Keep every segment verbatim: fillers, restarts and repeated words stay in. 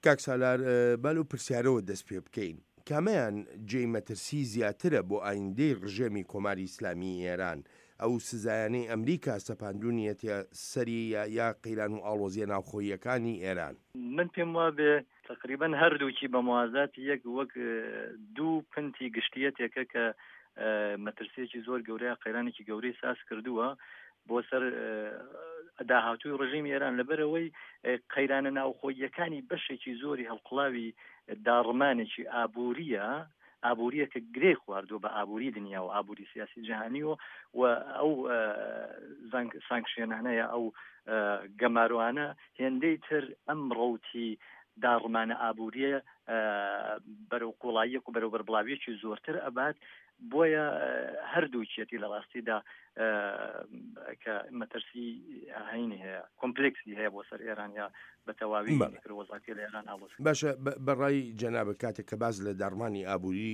کاک سالار، با لەو پرسیارەوە دەست پێ بکەین، کامەیان جێی مەترسی زیاترە بۆ ئایندەی ڕژێمی کۆماری ئیسلامیی ئێران، ئەو سزایانەی ئەمریکا سەپاندوونیەتیە سەری یا قەیران و ئاڵۆزییە ناوخۆییەکانی ئێران؟ من پێم وابێ تەقریبەن هەردووکی بە موازاتی یەک وەک دوو پنتی گشتیەتێکە کە مەترسیەکی زۆر گەورەیە، قەیرانێکی گەورەی ساز کردووە بۆ سەر داهاتووی ڕژیمی ئێران، لەبەرەوەی قەیرانە ناوخۆییەکانی بەشێکی زۆری هەڵقوڵاوی داڕمانێکی ئابووریە، ئابووریە کە گرێ خواردووە بە ئابووری دنیا و ئابووری سیاسی جیهانیەوە و ئەو سانکشێنانەیە، ئەو گەمارۆانە هێندەی تر ئەم ڕەوتی داڕمانە ئابووریە بەرەو قوڵاییەک و بەرەو بەربڵاویەکی زۆرتر ئەبات. بۆیە هەردووکیەتی لە ڕاستیدا کە مەترسی هەینی هەیە، کۆمپلێکسی هەیە بۆ سەر ئێران یا بە تەواوی وەزاکە لە ئێران ئاڵۆز. باشە، بەڕای جەنابە کاتێک کە باز لە داڕمانی ئابووری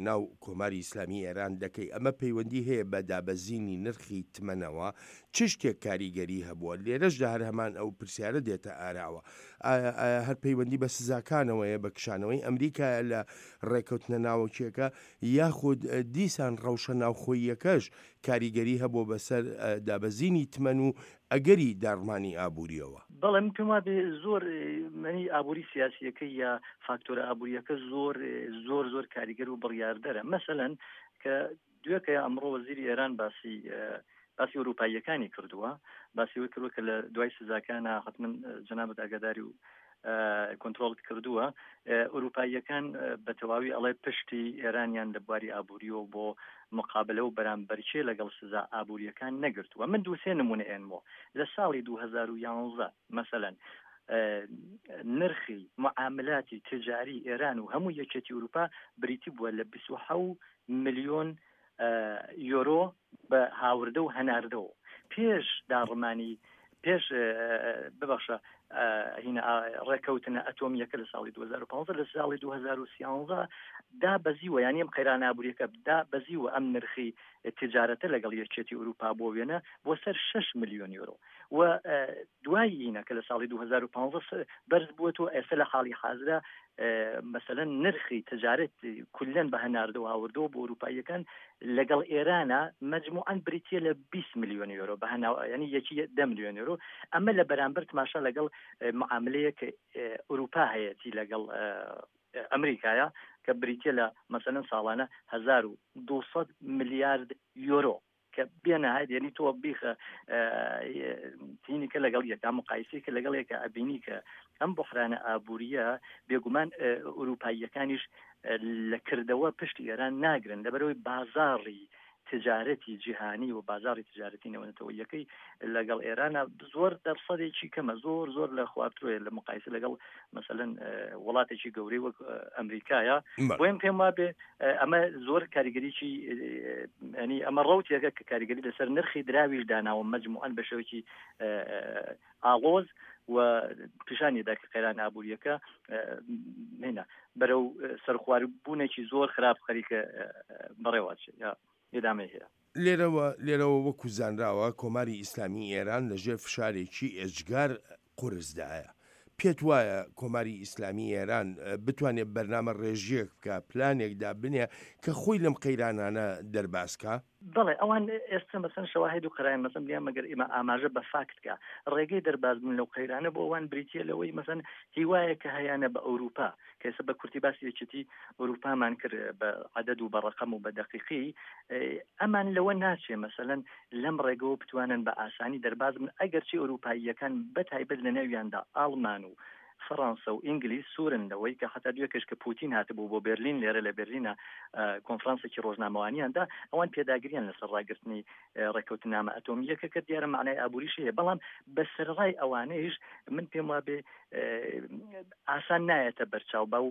ناو کۆماری ئیسلامی ئێران دەکەی، ئەمە پەیوەندی هەیە بە دابەزینی نرخی تمەنەوە، چ شتێک کاریگەری هەبووە؟ لێرەشدا هەر هەمان ئەو پرسیارە دێتە ئاراوە، ئایا ئایا هەر پەیوەندی بە سزاکانەوەیە، بە کشانەوەی ئەمریکایە لە ڕێکەوتنە ناوەکیەکە، یاخود دیسان ڕەوشە ناوخۆییەکەش کاریگەری هەبوو بەسەر دابەزینی تمەن و ئەگەری داڕمانی ئابووریەوە؟ بەڵێ، من پێم وابێ زۆر منی ئابووری سیاسیەکە یا فاکتۆرە ئابووریەکە زۆر زۆر زۆر کاریگەر و بڕیاردەرە. مەسەلەن کە دوێکە ئەمڕۆ وەزیری ئێران باسی باسی ئەوروپاییەکانی کردووە، باسی ئەوەی کردووە کە لە دوای سزاکانە حتمەن جەنابت ئاگاداری و کۆنترۆڵت کردووە، ئەوروپاییەکان بە تەواوی ئەڵێ پشتی ئێرانیان لە بواری ئابووریەوە بۆ مقابلە و بەرامبەرچێ لەگەڵ سزا ئابووریەکان نەگرتووە. من دوو سێ نمونە ئێنمەوە. لە ساڵی دوو هەزار و یانزە مەسەلەن نرخی معاملاتی تجاری ئێران و هەموو یەکێتی ئەوروپا بریتی بووە لە بیست و حەوت ملیۆن یۆرۆ بە هاوردە و هەناردەوە. پێش داڕمانی پێش ببەخشە هینە ڕێکەوتنە ئەتۆمیەکە لە ساڵی دوو هەزار و پانزە، لە ساڵی دوو هەزار و سیانزە دا بەزیوە، یعنی ئەم قەیران ئابووریەکە دا بەزیوە ئەم نرخی تجارەتە لەگەڵ یەکێتی ئەوروپا بۆ وێنە بۆ سەر شەش ملیۆن یۆرۆ و دوای هینە کە لە ساڵی دوو هەزار و پانزە بەرز بووەتەوە، ئێستا لە حاڵی حازرە مەسەلەن نرخی تجارەت کلەن بە هەناردەوە هاوردەوە بۆ ئەوروپاییەکان لەگەڵ ئێرانە مەجموعاً بریتیە لە بیست ملیۆن یۆرۆ بە هەناو، یعنی یەکی دە ملیۆن یۆرۆ. ئەمە لە بەرامبەر تماشا لەگەڵ معاملەیەک ئەوروپا هەیەتی لەگەڵ ئەمریکایە کە بریتیە لە مەسەلەن ساڵانە هەزار و دووسەد ملیارد یۆرۆ کە بێنەهایەت، یعنی تۆ بیخە تینی کە لەگەڵ یەکە مقایسەی کە لەگەڵ یەکە ئەبینی کە ئەم بحرانە ئابووریە بێگومان ئەوروپاییەکانیش لە کردەوە پشتی ئێران ناگرن، لەبەرەوەی بازاڕی تجارەتی جیهانی و بازاڕی تجارەتی نێونەتەوەیەکەی لەگەڵ ئێرانە زۆر دەرسەدێکی کەمە، زۆر زۆر لە خوارترۆیە لە مقایسە لەگەڵ مەسەلەن وڵاتێکی گەورەی وەک ئەمریکایە. بۆیە پێم وابێ ئەمە زۆر کاریگەریی، ینی ئەمە ڕەوتێکە کە کاریگەری لەسەر نرخی دراویش داناوە مەجموعەن بە شێوەیەکی ئاڵۆز و پیشانی دا کە قەیران ئابووریەکە هێنا بەرەو سەرخواربوونێکی زۆر خراپ خەریکە بەڕێوەچێت یا ئێدامەی هەیە. لێرەوە لێرەوە وەکو زانراوە کۆماری ئیسلامی ئێران لەژێر فشارێکی ئێجگار قورسدایە. پێت وایە کۆماری ئیسلامی ئێران بتوانێت بەرنامە ڕێژیەک بکە، پلانێکدا بنێ کە خۆی لەم قەیرانانە دەربازکە؟ بەڵێ، ئەوان ئێستا مەسەن شەواهد و قەرایان مەسەن بڵێن مەگەر ئێمە ئاماژە بە فاکت کە ڕێگەی دەربازبوون لەو قەیرانە بۆ ئەوان بریتیە لەوەی مەسەن هیوایە کە هەیانە بە ئەوروپا، کە ئێستا بە کورتی باسی یەکێتی ئەوروپامان کرد بە عەدەد و بە ڕەقەم و بە دەقیقی، ئەمان لەوە ناچێ مەسەلەن لەم ڕێگەوە بتوانن بە ئاسانی دەرباز بن، ئەگەرچی ئەوروپاییەکان بە تایبەت لە نێویاندا ئاڵمان و فەڕەنسا و ئینگلیس سوورن لەوەی کە حتا دوێکەش کە پوتین هاتبوو بۆ بەرلین، لێرە لە بەرلینە کۆنفرانسێکی ڕۆژنامەوانیاندا ئەوان پێداگریان لەسەر ڕاگرتنی ڕێککەوتنامە ئەتۆمییەکە کە دیارە معنای ئابووریش هەیە، بەڵام بەسەرڕای ئەوانەیش من پێم وابێ ئاسان نایەتە بەرچاو بەو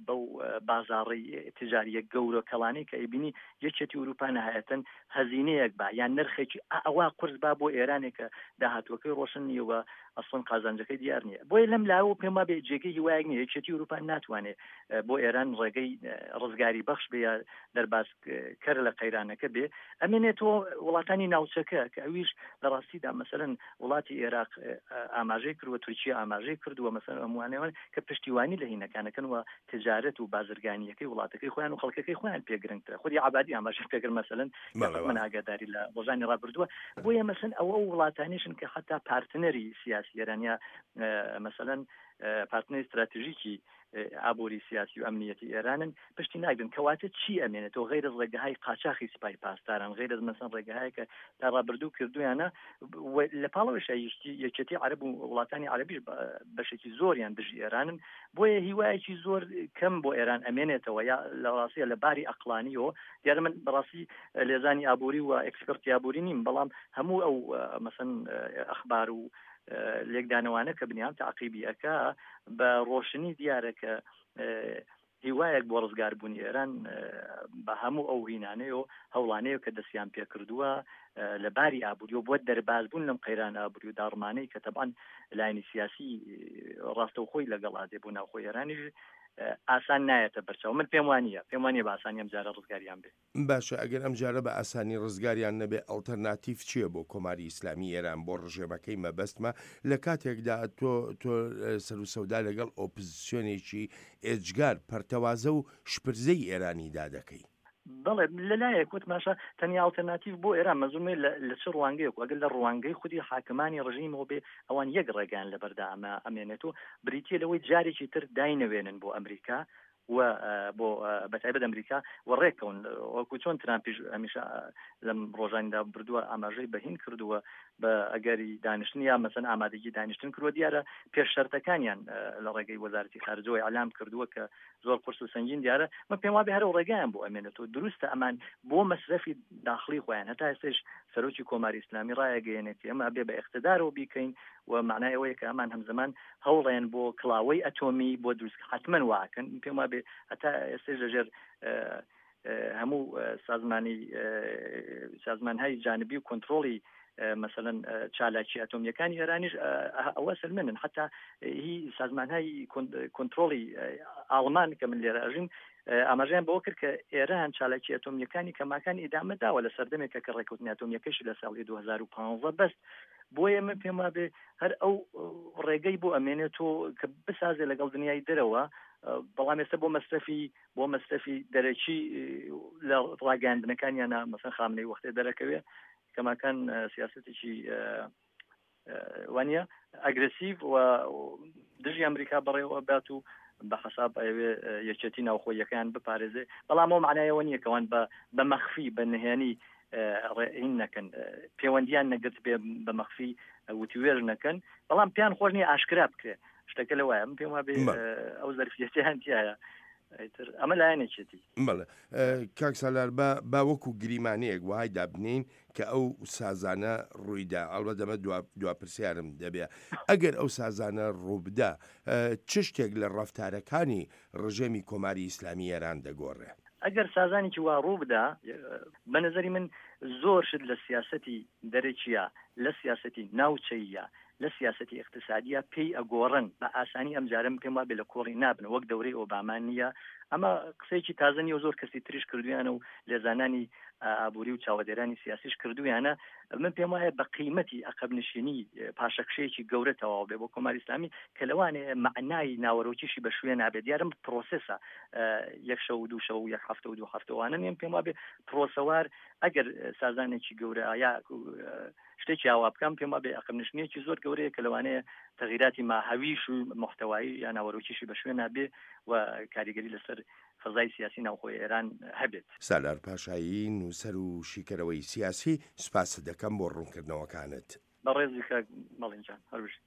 بەو بازاڕی تجاریە گەورە کەڵانەی کە ئەیبینی یەکێتی ئەوروپا نهایەتەن هەزینەیەک با یان نرخێکی ئەوە قورس با بۆ ئێرانێک کە داهاتووەکەی ڕۆشن نییە و ئەسڵەن قازانجەکەی دیار نییە. بۆیە لەم لاوە پێم وابێ جێگەی هیوایەک نییە. یەکێتی ئەوروپا ناتوانێت بۆ ئێران ڕێگەی ڕزگاری بەخش بێ یا دەربازکەر لە قەیرانەکە بێ. ئەمێنێتەوە وڵاتانی ناوچەکە کە ئەویش لە ڕاستیدا مەسەلەن وڵاتی عێراق ئاماژەی کردووە، تورکیا ئاماژەی کردووە، مەسەلەن هەمووانەوە کە پشتیوانی لە هینەکانەکەن و تجارەت و بازرگانیەکەی وڵاتەکەی خۆیان و خەڵکەکەی خۆیان پێگرنگترە. خودی عەبادی ئاماژەی پێکرد مەسەلەن من ئاگاداری لە ڕۆژانی ڕابردووە. بۆیە مەسەلەن ئەوە ئەو وڵاتانیشن کە حتا پارتنەری سیاسی ئێرانیا مەسەلەن پارتنەری استراتژیکی ئابووری سیاسی و ئەمنیەتی ئێرانن پشتی ناگرن. کەواتە چی ئەمێنێتەوە غەیرە ڕێگەهای قاچاخی سپای پاسداران، غەیرە مەسەن ڕێگەهایە کە تا ڕابردوو کردویانە. لە پاڵەوەش یەکێتی عەرەب و وڵاتانی عەرەبیش بەشێکی زۆریان دژی ئێرانن. بۆیە هیوایەکی زۆر کەم بۆ ئێران ئەمێنێتەوە یا لە ڕاستیە لە باری ئەقلانیەوە. دیارە من بەڕاستی لێزانی ئابووری و ئێکسپەرتی ئابووری نیم، بەڵام هەموو ئەو مەسەن ئەخبار و لێکدانەوانە کە بنیان تعقیبی ئەکا بە ڕۆشنی دیارە کە هیوایەک بۆ ڕزگاربوونی ئێران بە هەموو ئەو هینانەیە و هەوڵانەیە کە دەستیان پێکردووە لە باری ئابووری و بۆ دەربازبوون لەم قەیران ئابووری و داڕمانەی کە تەبعەن لایەنی سیاسی ڕاستەوخۆی لەگەڵ ئادێ بۆ ناوخۆی ئێرانیش ئاسان نایەتە بەرچاو. من پێم وانییە پێم وانییە بە ئاسانی ئەم جارە ڕزگاریان بێ. باشە ئەگەر ئەم جارە بە ئاسانی ڕزگاریان نەبێ ئەڵتەرناتیڤ چییە بۆ کۆماری ئیسلامی ئێران بۆ ڕژێمەکەی مەبەستمە لە کاتێکدا تۆ تۆ سەر و سەودا لەگەڵ ئۆپزسیۆنێکی ئێجگار پەرتەوازە و شپرزەی ئێرانیدا دەکەی؟ بەڵێ لەلایەک وتماشا تەنیا ئەڵتەرناتیڤ بۆ ئێران مەزومێ لە چ ڕوانگەیەک، ئەگەر لە ڕوانگەی خودی حاکمانی ڕژیمەوە بێ ئەوان یەک ڕێگەیان لەبەردا ئەمە ئەمێنێت و بریتیە لەوەی جارێکی تر داینەوێنن بۆ ئەمریکا و بۆ بەتایبەت ئەمریکا و ڕێککەون، وەکو چۆن ترامپیش هەمیشە لەم ڕۆژانیدا بردووە ئاماژەی بەهین کردووە بە ئەگەری دانیشتن یا مەسەن ئامادەگی دانیشتن کردووە. دیارە پێش شەرتەکانیان لە ڕێگەی وەزارەتی خارجەوە ئیعلام کردووە کە زۆر قورس و سەنگین دیارە. من پێم وابێ هەر ئەو ڕێگایان بۆ ئەمێنێتەوە. دروستە ئەمان بۆ مەسرەفی داخلی خۆیان هەتا ئێستاش سەرۆکی کۆماری ئیسلامی ڕایەگەیەنێت ئێمە ئەبێ بە ئیقتدارەوە بیکەین و معنای ئەوەیە کە ئەمان هەمزەمان هەوڵێن بۆ کڵاوەی ئەتۆمی بۆ دروست حتمما واکەن. پێم وابێ هەتا ئێستاش لەژێر هەموو سازمانی سازمانهای جانبی و کۆنترۆڵی مثلا چالاکی ئەتۆمیەکانی ئێرانیش ئەوە سەلمێنن. حتا هی سازمانهای کۆنترۆڵی ئاڵمان کە من لێرە ئەژیم ئاماژەیان بەوە کرد کە ئێران چالاکی ئەتۆمیەکانی کەماکان ئیدامە داوە لە سەردەمێکە کە ڕێککەوتنی ئەتۆمیەکەشی لە ساڵی دوو هەزار و پانزە بەست. بۆیە من پێم وابێ هەر ئەو ڕێگەی بۆ ئەمێنێتەوە کە بسازێ لەگەڵ دنیای دەرەوە، بەڵام ئێستا بۆ مەسرەفی بۆ مەسرەفی دەرەکی لە ڕاگەیاندنەکانیانە مەسەن خامنەی وەختێ دەرەکەوێ کەماکان سیاسەتێکی وانە ئەگرسیڤ و دژی ئەمریکا بەڕێوە بات و بە حساب ئەوێ یەکێتی ناوخۆیەکەیان بپارێزێ. بەڵام ئەو معنایەوە نییە کەوان بە مەخفی بە نهێنی ڕێین نەکەن، پەیوەندیان نەگرت بێ بە مەخفی وتوێژ نەکەن، بەڵام پێیان خۆش نییە ئاشکرا بکرێ. شتەکە لەوایە من پێم وابێ ئەو زەرفیەتیان تیایە. ئەمە لایەنێکێتی. بەڵێ کاک سالار، با وەکو گریمانەیەک وهای دابنین کە ئەو سازانە ڕوویدا، ئەڵبەت ئەمە دوا پرسیارم دەبێ، ئەگەر ئەو سازانە ڕووبدا چ شتێک لە ڕەفتارەکانی ڕژێمی کۆماری ئیسلامی ئێران دەگۆڕێ؟ ئەگەر سازانێکی وا ڕووبدا بە نظری من زۆر شت لە سیاسەتی دەرەکیە، لە سیاسەتی ناوچەیە، لە سیاسەتی اقتصادیە پێی ئەگۆڕن بە ئاسانی. ئەم جارم پێم وابێ لە کۆڵی نابن وەک دەورەی ئۆباما نییە. ئەمە قسەیەکی تازە نییە و زۆر کەسی تریش کردویانە و لێزانانی ئابووری و چاوەدێرانی سیاسیش کردویانە. من پێم وایە بە قیمەتی عەقەبنشینی پاشەکشەیەکی گەورە تەواو بێ بۆ کۆماری ئیسلامی کە لەوانەیە مەعنای ناوەرۆکیشی بە شوێن نابێت. دیارم پرۆسێسە یەک شەو و دوو شەو و یەک هەفتە و دوو هەفتەوانە نیم. پێم وابێ پرۆسەوار ئەگەر سازانێکی گەورە یا شتێکی ئاوا بکەم پێم وابێ عەقەبنشینیەکی زۆر گەورەیە کە لەوانەیە تەغیراتی ماهەویش و محتەوایی یا ناوەرۆکیشی بە شوێن نابێ و کاریگەری لەسەر فەزای سیاسی ناوخۆی ئێران هەبێت. سالار پاشایی، نووسەر و شیکەرەوەی سیاسی، سوپاست دەکەم بۆ ڕوونکردنەوەکانت. بەڕێزی کاک مەڵین جان، هەر بژیت.